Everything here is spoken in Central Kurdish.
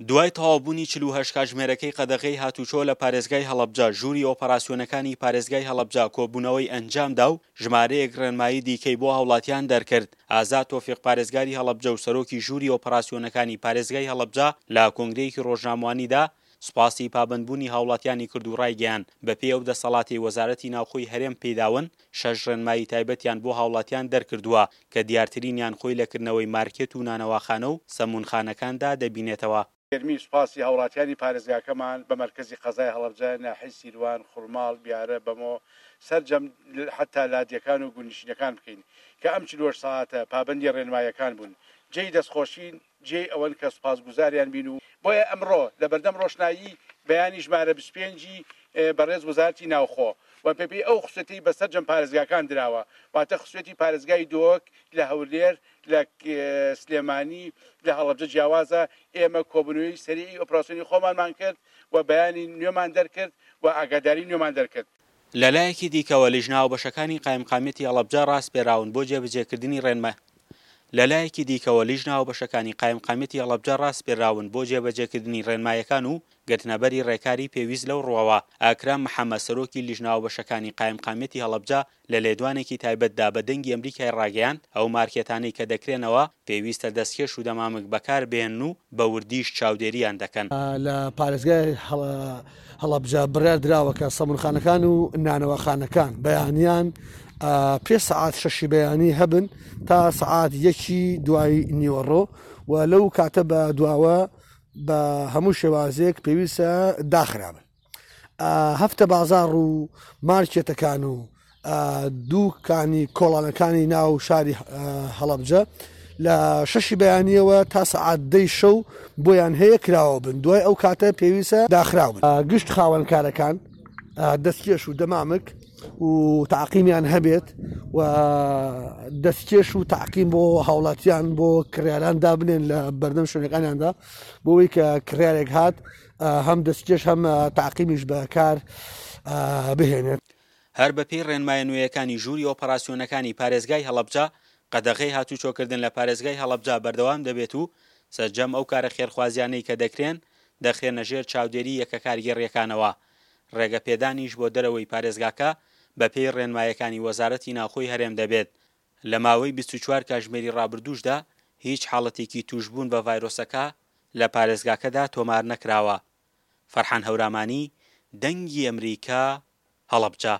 دوای تەواوبوونی 48 کاتژمێرەکەی قەدەغەی هاتوچۆ لە پارێزگای هەڵەبجە، ژووری ئۆپەراسیۆنەکانی پارێزگای هەڵەبجە کۆبوونەوەی ئەنجامدا و ژمارەیەک ڕێنمایی دیکەی بۆ هاوڵاتیان دەرکرد. ئازاد تۆفیق پارێزگاری هەڵەبجە و سەرۆکی ژووری ئۆپەراسیۆنەکانی پارێزگای هەڵەبجە لە کۆنگرەیەکی ڕۆژنامەوانیدا سوپاسی پابەندبوونی هاوڵاتیانی کرد و ڕایگەیاند، بەپێی ئەو دەسەڵاتەی وەزارەتی ناوخۆی هەرێم پێیداون، شەش ڕێنمایی تایبەتیان بۆ هاوڵاتیان دەرکردووە کە دیارترینیان خۆی لە کردنەوەی مارکێت و نانەواخانە و سەموونخانەکاندا دەبینێتەوە. گەرمی سوپاسی هاوڵاتیانی پارێزگاکەمان بە مەرکەزی قەزای هەڵەبجە، ناحیەی سیروان، خورماڵ، بیارە، بەمۆ، سەرجەم حەتا لادێکان و گوندنشینەکان بکەین کە ئەم 48 سەعاتە پابەندی ڕێنماییەکان بوون. جێی دەستخۆشین. جێی ئەوەن کە سوپاسگوزاریان بین و بۆیە ئەمڕۆ لەبەردەم ڕۆشنایی بەیانی ژمارە 25 ی بەڕێز وەزارەتی ناوخۆ و بەپێی ئەو خسوێتەی بە سەرجەم پارێزگاکان دراوە واتە خسوێتی پارێزگای دهۆک لە هەولێر لە سلێمانی لە هەڵەبجە جیاوازە ئێمە کۆبوونەوەی سەریعی ئۆپراسیۆنی خۆمانمان کرد و بەیانی نوێمان دەرکرد و ئاگاداری نوێمان دەرکرد. لەلایەکی دیکەوە لیژنە هاوبەشەکانی قایمقامیەتی هەڵەبجە ڕاسپێراون بۆ جێبەجێکردنی ڕێنما لەلایەکی دیکەوە لیژنە هاوبەشەکانی قایمقامیەتی هەڵەبجە ڕاسپێراون بۆ جێبەجێکردنی ڕێنمایەکان و گرتنەبەری ڕێکاری پێویست لەو ڕووەوە. ئاکرام محەمەد سەرۆکی لیژنە هاوبەشەکانی قایمقامیەتی هەڵەبجە لە لێدوانێکی تایبەتدا بە دەنگی ئەمریکای ڕاگەیاند، ئەو مارکێتانەی کە دەکرێنەوە پێویستە دەستکێش و دەمامک بەکار بهێنن و بە وردیش چاودێرییان دەکەن. لە پارێزگای هەڵەبجە بڕیار دراوە کە سەمونخانەکان و نانەواخانەکان بەیانیان پێش سەعات شەشی بەیانی هەبن تا سەعات یەکی دوای نیوەڕۆ و لەو کاتە بە دواوە بە هەموو شێوازێک پێویستە داخرابن. هەفتە بازاڕ و مارکێتەکان و دووکانی کۆڵانەکانی ناو شاری هەڵەبجە لە شەشی بەیانیەوە تا سەعات دەی شەو بۆیان هەیە کراوە بن دوای ئەو کاتە پێویستە داخراو بن گشت خاوەنکارەکان دەستکێش و دەمامک و تاقیمیان هەبێت و دەستکێش و تاقیم بۆ هاوڵاتیان بۆ کڕیاران دابنێن لە بەردەم شوێنەکانیاندا بۆ ئەوەی کە کڕیارێک هات هەم دەستکێش هەم تاقیمیش بەکار بهێنێت. هەر بەپێی ڕێنمایە نوێیەکانی ژووری ئۆپەراسیۆنەکانی پارێزگای هەڵەبجە، قەدەغەی هاتوچۆکردن لە پارێزگای هەڵەبجە بەردەوام دەبێت و سەرجەم ئەو کارە خێرخوازیانەی کە دەکرێن دەخرێنە ژێر چاودێری یەکە کارگێڕییەکانەوە، ڕێگەپێدانیش بۆ دەرەوەی پارێزگاکە بەپێی ڕێنمایەکانی وەزارەتی ناوخۆی هەرێم دەبێت. لە ماوەی 24 کاژمێری ڕابردووشدا هیچ حاڵەتێکی تووشبوون بە ڤایرۆسەکە لە پارێزگاکەدا تۆمارنەکراوە. فەرحان هەورامانی، دەنگی ئەمریکا، هەڵەبجە.